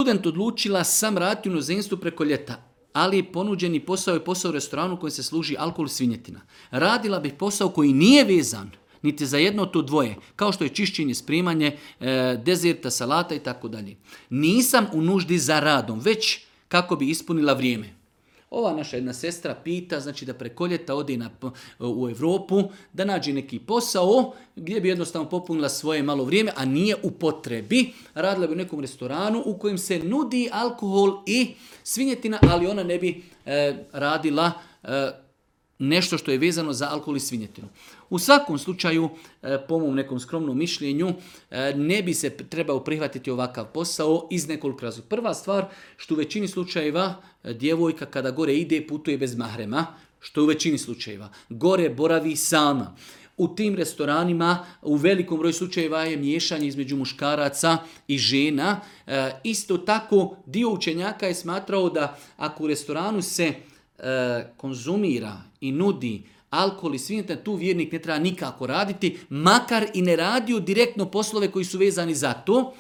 student odlučila sam raditi u inozemstvu preko ljeta, ali je ponuđeni posao je posao u restoranu u kojem se služi alkohol i svinjetina. Radila bih posao koji nije vezan niti za jedno to dvoje, kao što je čišćenje, spremanje, dezerta, salata i tako dalje. Nisam u nuždi za radom, već kako bi ispunila vrijeme. Ova naša jedna sestra pita, znači da preko ljeta ode u Europu, da nađe neki posao gdje bi jednostavno popunila svoje malo vrijeme, a nije u potrebi. Radila bi u nekom restoranu u kojem se nudi alkohol i svinjetina, ali ona ne bi radila nešto što je vezano za alkohol i svinjetinu. U svakom slučaju, po mom nekom skromnom mišljenju, ne bi se trebao prihvatiti ovakav posao iz nekoliko razloga. Prva stvar, što u većini slučajeva djevojka kada gore ide putuje bez mahrema, što u većini slučajeva. Gore boravi sama. U tim restoranima u velikom broju slučajeva je miješanje između muškaraca i žena. Isto tako, dio učenjaka je smatrao da ako u restoranu se konzumira i nudi alkohol i svinjetina, tu vjernik ne treba nikako raditi, makar i ne radio direktno poslove koji su vezani za to,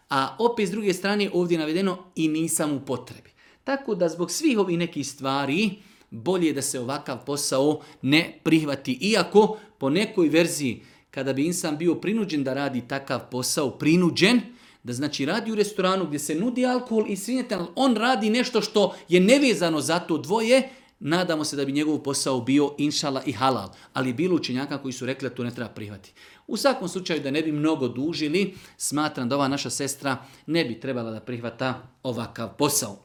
a opet s druge strane ovdje je navedeno i nisam u potrebi. Tako da zbog svih ovih nekih stvari bolje je da se ovakav posao ne prihvati. Iako po nekoj verziji kada bi insan bio prinuđen da radi takav posao, prinuđen, da znači radi u restoranu gdje se nudi alkohol i svinjetina, on radi nešto što je nevezano za to dvoje, nadamo se da bi njegov posao bio inšala i halal. Ali je bilo učenjaka koji su rekli da to ne treba prihvatiti. U svakom slučaju da ne bi mnogo dužili, smatram da ova naša sestra ne bi trebala da prihvata ovakav posao.